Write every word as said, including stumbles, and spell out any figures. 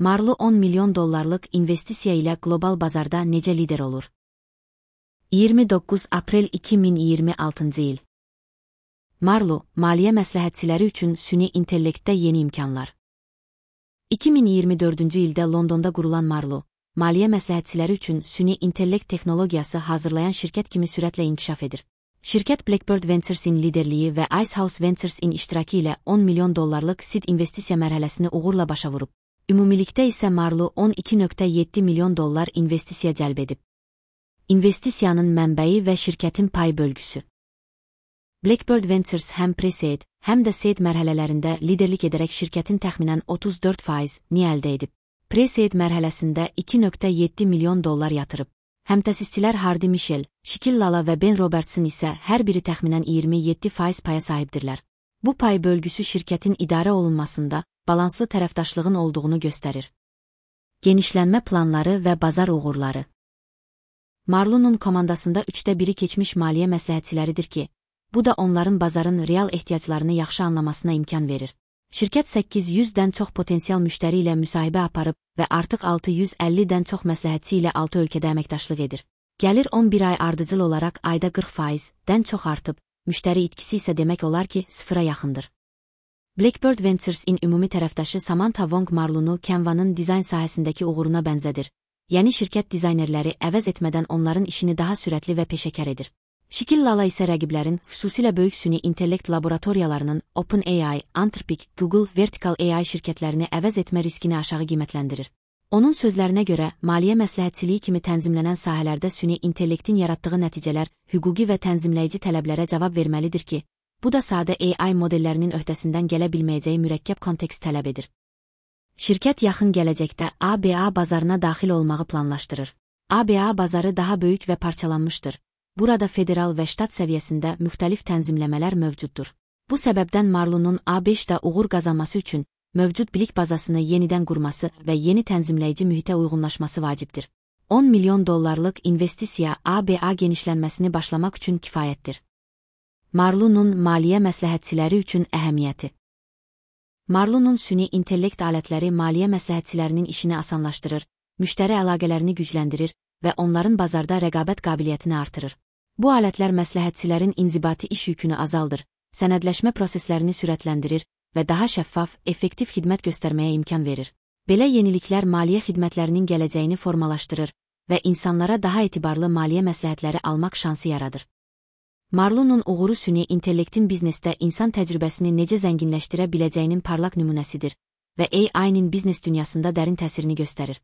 Marlu on milyon dollarlıq investisiya ilə qlobal bazarda necə lider olur? iyirmi doqquz aprel iki min iyirmi altıncı il. Marlu, maliyyə məsləhətçiləri üçün süni intellektdə yeni imkanlar. iki min iyirmi dördüncü ildə Londonda qurulan Marlu, maliyyə məsləhətçiləri üçün süni intellekt texnologiyası hazırlayan şirkət kimi sürətlə inkişaf edir. Şirkət Blackbird Ventures'in liderliyi və Icehouse Ventures'in iştirakı ilə on milyon dollarlıq seed investisiya mərhələsini uğurla başa vurub. Ümumilikdə isə Marlu on iki nöqtə yeddi milyon dollar investisiya cəlb edib. İnvestisiyanın mənbəyi və şirkətin pay bölgüsü. Blackbird Ventures həm pre-seed, həm də seed mərhələlərində liderlik edərək şirkətin təxminən otuz dörd faizini əldə edib. Pre-seed mərhələsində iki nöqtə yeddi milyon dollar yatırıb. Həmtəsisçilər Hardy Michel, Shikil Lala və Ben Robertson isə hər biri təxminən iyirmi yeddi faiz paya sahibdirlər. Bu pay bölgüsü şirkətin idarə olunmasında balanslı tərəfdaşlığın olduğunu göstərir. Genişlənmə planları və bazar uğurları. Marlu'nun komandasında üçdə biri keçmiş maliyyə məsləhətçiləridir ki, bu da onların bazarın real ehtiyaclarını yaxşı anlamasına imkan verir. Şirkət səkkiz yüzdən çox potensial müştəri ilə müsahibə aparıb və artıq altı yüz əllidən çox məsləhətçi ilə altı ölkədə əməkdaşlıq edir. Gəlir on bir ay ardıcıl olaraq ayda qırx faizdən çox artıb, müştəri itkisi isə demək olar ki, sıfıra yaxındır. Blackbird Ventures'in ümumi tərəfdaşı Samantha Wong Marlu'nu Canva'nın dizayn sahəsindəki uğuruna bənzədir. Yəni şirkət dizaynerləri əvəz etmədən onların işini daha sürətli və peşəkar edir. Shikil Lala isə rəqiblərin, xüsusilə böyük süni intellekt laboratoriyalarının OpenAI, Anthropic, Google, Vertical A I şirkətlərini əvəz etmə riskini aşağı qiymətləndirir. Onun sözlərinə görə, maliyyə məsləhətçiliyi kimi tənzimlənən sahələrdə süni intellektin yaratdığı nəticələr hüquqi və tənzimləyici tələblərə cavab verməlidir ki, bu da sadə A I modellərinin öhdəsindən gələ bilməyəcəyi mürəkkəb kontekst tələb edir. Şirkət yaxın gələcəkdə A B A bazarına daxil olmağı planlaşdırır. A B A bazarı daha böyük və parçalanmışdır. Burada federal və ştat səviyyəsində müxtəlif tənzimləmələr mövcuddur. Bu səbəbdən Marlu'nun A beşdə uğur qazanması üçün mövcud bilik bazasını yenidən qurması və yeni tənzimləyici mühitə uyğunlaşması vacibdir. on milyon dollarlıq investisiya A B A genişlənməsini başlamaq üçün kifayətdir. Marlu'nun maliyyə məsləhətçiləri üçün əhəmiyyəti. Marlu'nun süni intellekt alətləri maliyyə məsləhətçilərinin işini asanlaşdırır, müştəri əlaqələrini gücləndirir və onların bazarda rəqabət qabiliyyətini artırır. Bu alətlər məsləhətçilərin inzibati iş yükünü azaldır, sənədləşmə proseslərini sürətləndirir və daha şəffaf, effektiv xidmət göstərməyə imkan verir. Belə yeniliklər maliyyə xidmətlərinin gələcəyini formalaşdırır və insanlara daha etibarlı maliyyə məsləhətləri almaq şansı yaradır. Marlu'nun uğuru süni intellektin biznesdə insan təcrübəsini necə zənginləşdirə biləcəyinin parlaq nümunəsidir və A I'nin biznes dünyasında dərin təsirini göstərir.